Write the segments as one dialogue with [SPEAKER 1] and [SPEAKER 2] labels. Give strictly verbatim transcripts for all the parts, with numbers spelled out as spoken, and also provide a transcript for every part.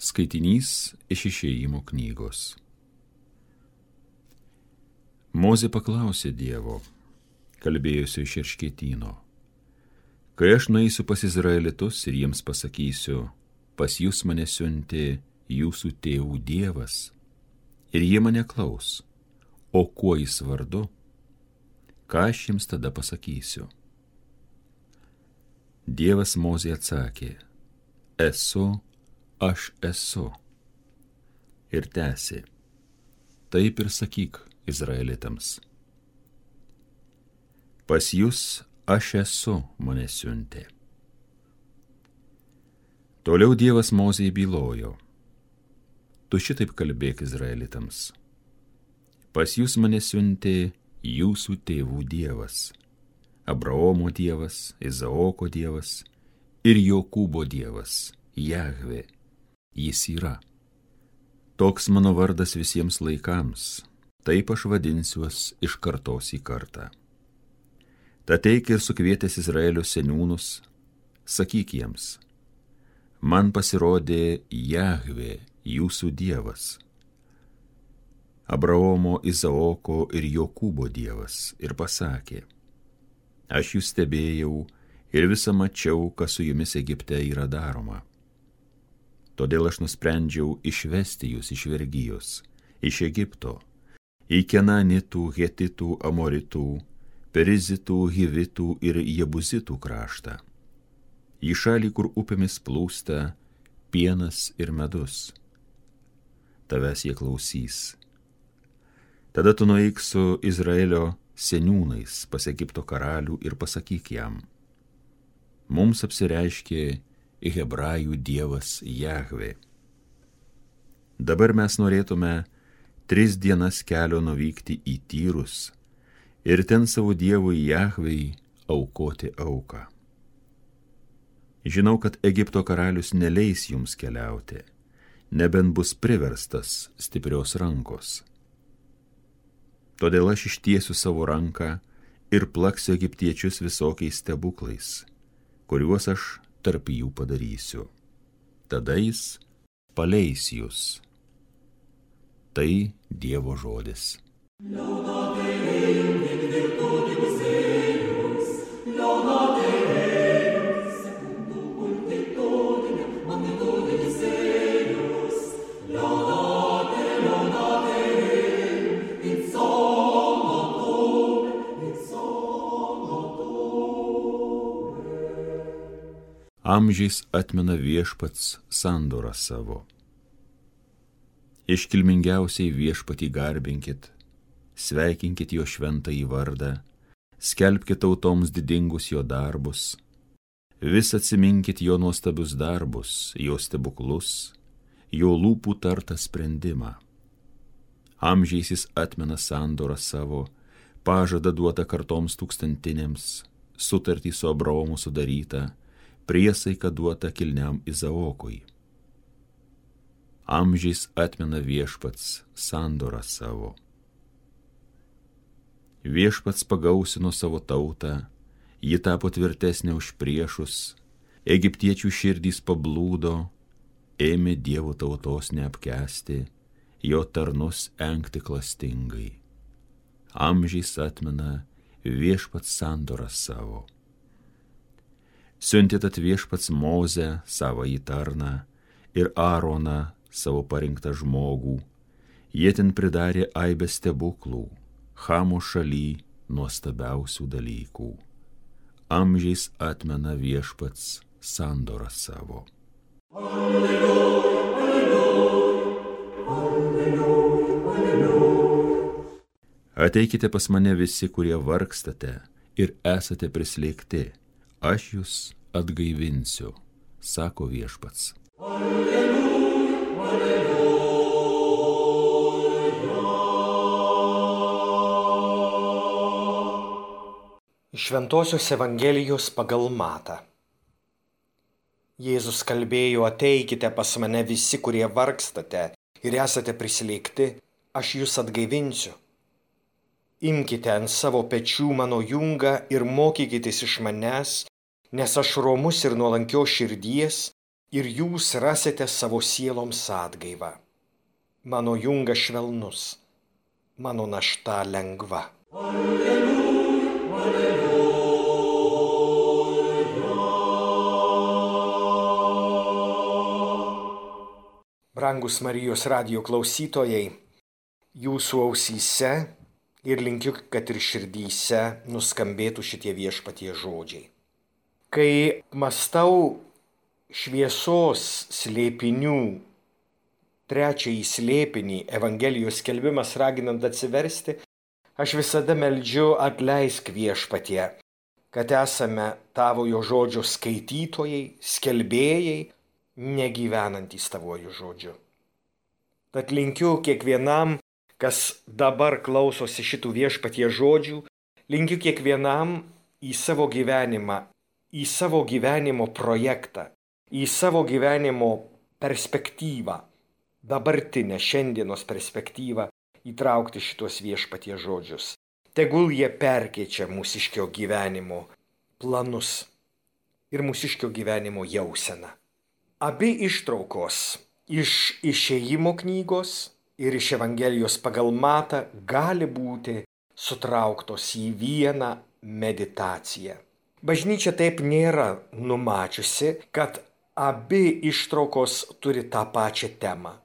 [SPEAKER 1] Skaitinys iš Išėjimo knygos. Mozė paklausė Dievo, kalbėjusio iš Erškėtyno: kai aš nueisiu pas Izraelitus ir jiems pasakysiu, pas jūs mane siuntė jūsų tėvų Dievas, ir jie mane klaus, o kuo jis vardu, ką aš jiems tada pasakysiu? Dievas Mozė atsakė: esu, aš esu. Ir tęsė: taip ir sakyk Izraelitams. Pas jūs aš esu mane siuntė. Toliau Dievas Mozei bylojo: tu šitaip kalbėk Izraelitams. Pas jūs mane siuntė jūsų tėvų Dievas, Abraomo Dievas, Izaoko Dievas ir Jokūbo Dievas, Jahvė. Jis yra. Toks mano vardas visiems laikams, taip aš vadinsiuos iš kartos į kartą. Tad eik ir sukvietęs Izraelio seniūnus, sakyk jiems: man pasirodė Jahvė, jūsų Dievas, Abraomo, Izaoko ir Jokūbo Dievas, ir pasakė: aš jūs stebėjau ir visą mačiau, kas su jumis Egipte yra daroma. Todėl aš nusprendžiau išvesti jūs iš vergijos, iš Egipto, į Kenanitų, Hetitų, Amoritų, Perizitų, Hivitų ir Jebuzitų kraštą, į šalį, kur upėmis plūsta pienas ir medus. Tavęs jie klausys. Tada tu nueik su Izraelio seniūnais pas Egipto karalių ir pasakyk jam: mums apsireiškė Hebrajų Dievas Jahvė. Dabar mes norėtume tris dienas kelio nuvykti į Tyrus ir ten savo Dievui Jahvei aukoti auką. Žinau, kad Egipto karalius neleis jums keliauti, nebent bus priverstas stiprios rankos. Todėl aš ištiesiu savo ranką ir plaksiu egiptiečius visokiais stebuklais, kuriuos aš tarp jų padarysiu. Tada jis paleis jūs. Tai Dievo žodis. Amžiais atmena viešpats sandorą savo. Iškilmingiausiai viešpatį garbinkit, sveikinkit jo šventąjį vardą, skelbkit tautoms didingus jo darbus, vis atsiminkit jo nuostabius darbus, jo stebuklus, jo lūpų tartą sprendimą. Amžiais jis atmena sandorą savo, pažadą duotą kartoms tūkstantinėms, sutartį su Abraomu sudarytą, priesaiką duotą kilniam Izaokui. Amžiais atmena viešpats sandorą savo. Viešpats pagausino savo tautą, ji tapo tvirtesnė už priešus, egiptiečių širdys pablūdo, ėmė Dievo tautos neapkęsti, jo tarnus engti klastingai. Amžiais atmena viešpats sandorą savo. Siuntė tad viešpats Mozę, savąjį tarną, ir Aaroną, savo parinktą žmogų. Jie ten pridarė aibę stebuklų, Chamo šaly nuostabiausių dalykų. Amžiais atmena viešpats sandorą savo. Alleluja, alleluja, alleluja, alleluja. Ateikite pas mane visi, kurie vargstate ir esate prislėgti. Aš jūs atgaivinsiu, sako viešpats. Alleluja, alleluja.
[SPEAKER 2] Iš Šventosios Evangelijos pagal Matą. Jėzus kalbėjo: ateikite pas mane visi, kurie vargstate ir esate prislėgti, aš jūs atgaivinsiu. Imkite ant savo pečių mano jungą ir mokykitės iš manęs, nes aš romus ir nuolankios širdies, ir jūs rasite savo sieloms atgaivą. Mano jungas švelnus, mano našta lengva. Alleluja, alleluja. Brangus Marijos radijo klausytojai, jūsų ausyse ir linkiu, kad ir širdyse nuskambėtų šitie viešpatie žodžiai. Kai mąstau šviesos slėpinių, trečiąjį slėpinį, Evangelijos skelbimas raginant atsiversti, aš visada meldžiu atleisk viešpatie, kad esame tavojo žodžio skaitytojai, skelbėjai, negyvenantys tavojo žodžiu. Tad linkiu kiekvienam, kas dabar klausosi šitų viešpatie žodžių, linkiu kiekvienam į savo gyvenimą, į savo gyvenimo projektą, į savo gyvenimo perspektyvą, dabartinę šiandienos perspektyvą įtraukti šitos viešpatie žodžius. Tegul jie perkeičia mūsiškio gyvenimo planus ir mūsiškio gyvenimo jauseną. Abi ištraukos iš Išėjimo knygos ir iš Evangelijos pagal Matą gali būti sutrauktos į vieną meditaciją. Bažnyčia taip nėra numačiusi, kad abi ištraukos turi tą pačią temą.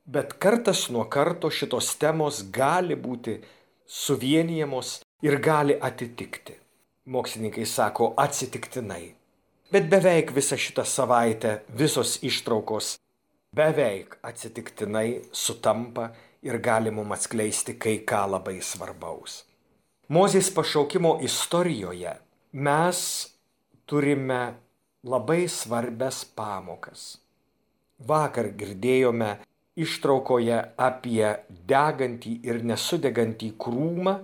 [SPEAKER 2] Bet kartas nuo karto šitos temos gali būti suvienijamos ir gali atitikti. Mokslininkai sako atsitiktinai. Bet beveik visą šitą savaitę visos ištraukos beveik atsitiktinai sutampa ir gali mums atskleisti kai ką labai svarbaus. Mozės pašaukimo istorijoje mes turime labai svarbias pamokas. Vakar girdėjome ištraukoje apie degantį ir nesudegantį krūmą,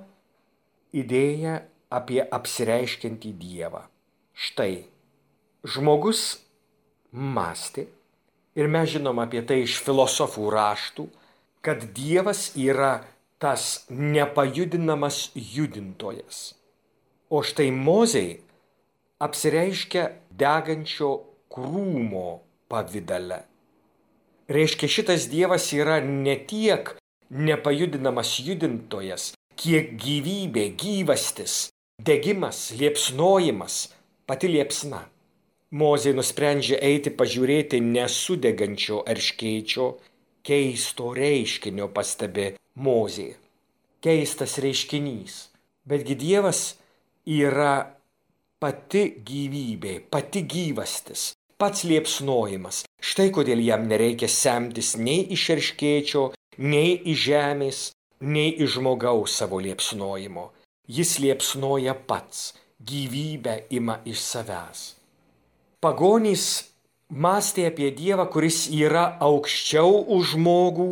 [SPEAKER 2] idėją apie apsireiškiantį Dievą. Štai, žmogus mąstė, ir mes žinom apie tai iš filosofų raštų, kad Dievas yra tas nepajudinamas judintojas. O štai Mozei apsireiškia degančio krūmo pavidale. Reiškia, šitas Dievas yra ne tiek nepajudinamas judintojas, kiek gyvybė, gyvastis, degimas, liepsnojimas, pati liepsna. Mozė nusprendžia eiti pažiūrėti nesudegančio erškėčio, keisto reiškinio pastebi Mozė. Keistas reiškinys. Betgi Dievas yra pati gyvybė, pati gyvastis, pats liepsnojimas. Štai kodėl jam nereikia semtis nei iš erškėčio, nei iš žemės, nei iš žmogaus savo liepsnojimo. Jis liepsnoja pats, gyvybę ima iš savęs. Pagonys mąstė apie Dievą, kuris yra aukščiau už žmogų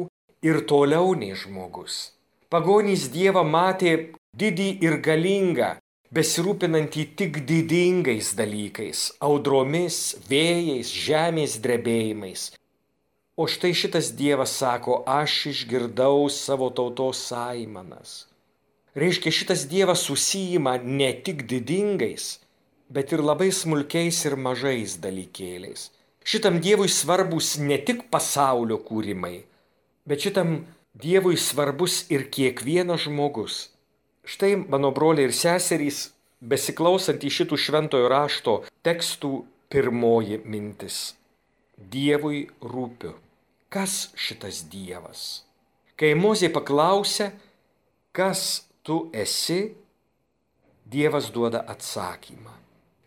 [SPEAKER 2] ir toliau nei žmogus. Pagonys Dievą matė didį ir galingą, besirūpinantį tik didingais dalykais, audromis, vėjais, žemės drebėjimais. O štai šitas Dievas sako, aš išgirdau savo tautos aimanas. Reiškia, šitas Dievas užsiima ne tik didingais, bet ir labai smulkiais ir mažais dalykėliais. Šitam Dievui svarbus ne tik pasaulio kūrimai, bet šitam Dievui svarbus ir kiekvienas žmogus. Štai, mano broliai ir seserys, besiklausant į šitų šventojo rašto tekstų, pirmoji mintis. Dievui rūpiu. Kas šitas Dievas? Kai Mozė paklausė, kas tu esi, Dievas duoda atsakymą.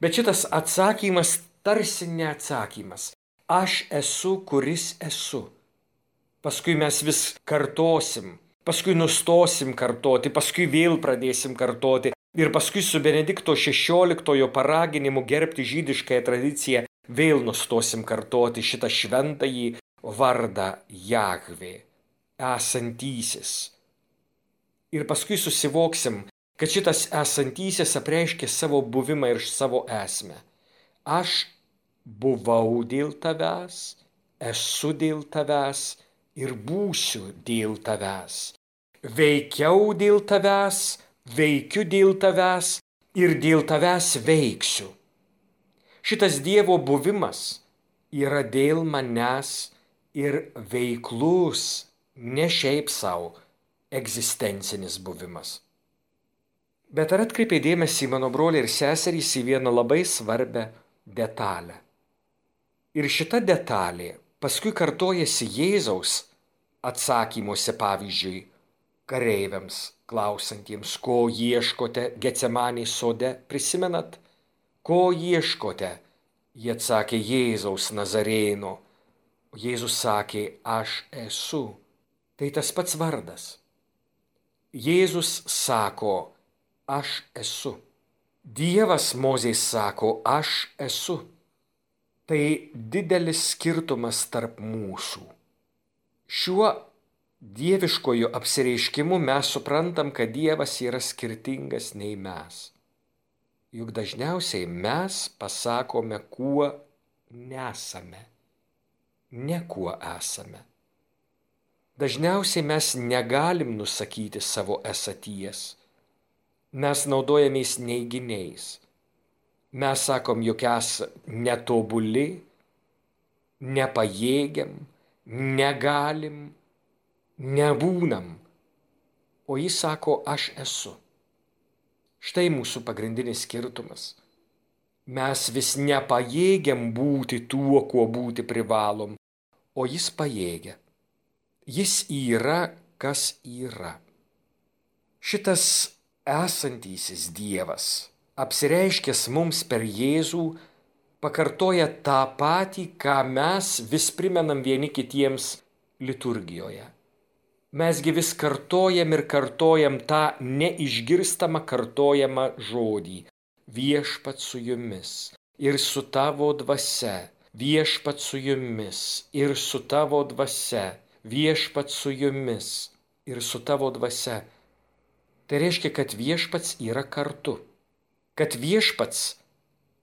[SPEAKER 2] Bet šitas atsakymas tarsi neatsakymas. Aš esu, kuris esu. Paskui mes vis kartosim. Paskui nustosim kartoti, paskui vėl pradėsim kartoti ir paskui su Benedikto šešioliktojo paraginimu gerbti žydiškąją tradiciją vėl nustosim kartoti šitą šventąjį vardą Jahvė, esantysis. Ir paskui susivoksim, kad šitas esantysis apreiškia savo buvimą ir savo esmę. Aš buvau dėl tavęs, esu dėl tavęs ir būsiu dėl tavęs. Veikiau dėl tavęs, veikiu dėl tavęs ir dėl tavęs veiksiu. Šitas Dievo buvimas yra dėl manęs ir veiklus, ne šiaip savo egzistencinis buvimas. Bet ar atkreipė dėmesį mano broliai ir seserys į vieną labai svarbią detalę? Ir šita detalė paskui kartojasi Jėzaus atsakymuose, pavyzdžiui, kareiviams klausantiems, ko ieškote Getsemanės sode, prisimenat? Ko ieškote? Jie atsakė, Jėzaus Nazarėno. Jėzus sakė, aš esu. Tai tas pats vardas. Jėzus sako, aš esu. Dievas Mozei sako, aš esu. Tai didelis skirtumas tarp mūsų. Šiuo dieviškoju apsireiškimu mes suprantam, kad Dievas yra skirtingas nei mes. Juk dažniausiai mes pasakome, kuo nesame, ne kuo esame. Dažniausiai mes negalim nusakyti savo esaties. Mes naudojamės neiginiais. Mes sakom, jog esame netobuli, nepajėgiam, negalim, nebūnam. O jis sako, aš esu. Štai mūsų pagrindinis skirtumas. Mes vis nepajėgiam būti tuo, kuo būti privalom, o jis pajėgia. Jis yra, kas yra. Šitas esantysis Dievas, apsireiškęs mums per Jėzų, pakartoja tą patį, ką mes vis primenam vieni kitiems liturgijoje. Mesgi vis kartojam ir kartojam tą neišgirstamą kartojamą žodį. Viešpat su jumis ir su tavo dvasia, viešpat su jumis ir su tavo dvasia, viešpat su jumis ir su tavo dvasia. Tai reiškia, kad viešpats yra kartu. Kad viešpats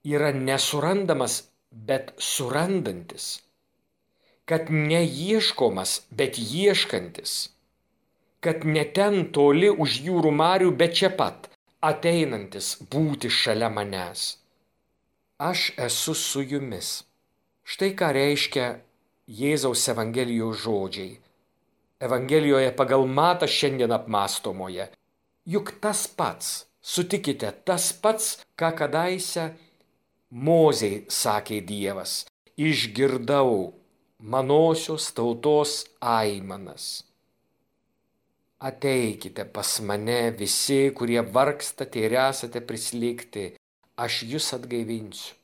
[SPEAKER 2] yra nesurandamas, bet surandantis. Kad neieškomas, bet ieškantis. Kad ne ten toli už jūrų marių, bet čia pat ateinantis būti šalia manęs. Aš esu su jumis. Štai ką reiškia Jėzaus Evangelijos žodžiai. Evangelijoje pagal Matą šiandien apmąstomoje. Juk tas pats, sutikite, tas pats, ką kadaise Mozei sakė Dievas. Išgirdau manosios tautos aimanas. Ateikite pas mane visi, kurie vargstate ir esate prislėgti, aš jus atgaivinsiu.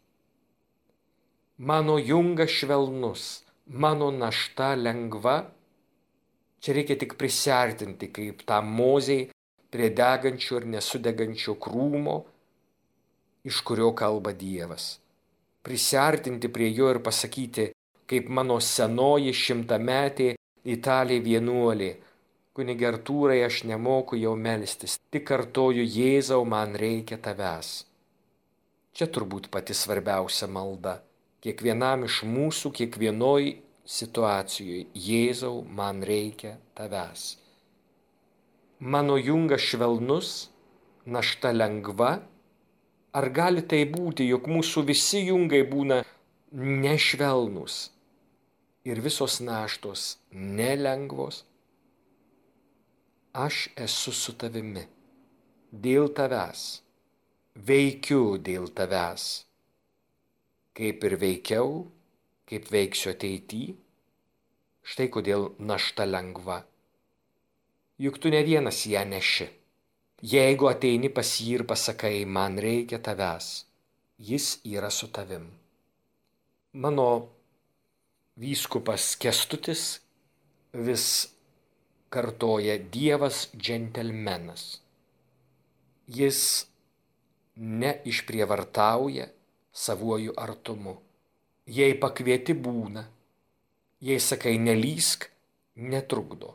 [SPEAKER 2] Mano jungas švelnus, mano našta lengva. Čia reikia tik prisiartinti, kaip tą Mozei prie degančio ir nesudegančio krūmo, iš kurio kalba Dievas. Prisiartinti prie jo ir pasakyti, kaip mano senoji šimtametė italė vienuolė. Kunige Artūrai, aš nemoku jau melstis, tik kartoju, Jėzau, man reikia tavęs. Čia turbūt pati svarbiausia malda. Kiekvienam iš mūsų, kiekvienoj situacijoje, Jėzau, man reikia tavęs. Mano jungas švelnus, našta lengva. Ar gali tai būti, jog mūsų visi jungai būna nešvelnus ir visos naštos nelengvos? Aš esu su tavimi, dėl tavęs, veikiu dėl tavęs. Kaip ir veikiau, kaip veiksiu ateityje, štai kodėl našta lengva. Juk tu ne vienas ją neši. Jeigu ateini pas jį ir pasakai, man reikia tavęs, jis yra su tavim. Mano vyskupas Kęstutis vis kartoja Dievas džentelmenas. Jis neišprievartauja savuoju artumu. Jei pakvieti būna, jei sakai nelįsk, netrukdo.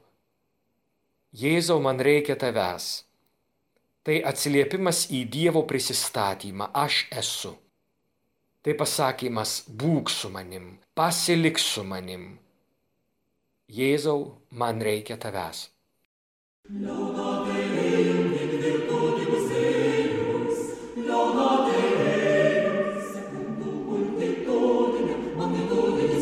[SPEAKER 2] Jėzau, man reikia tavęs. Tai atsiliepimas į Dievo prisistatymą, aš esu. Tai pasakymas, būk su manim, pasilik su manim. Jėzau, man reikia tavęs.
[SPEAKER 3] Laudate Deus, secundum ut victorem, omnipotens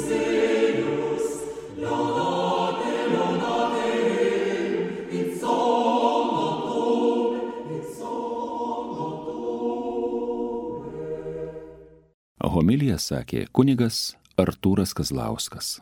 [SPEAKER 1] Homiliją sakė kunigas Artūras Kazlauskas.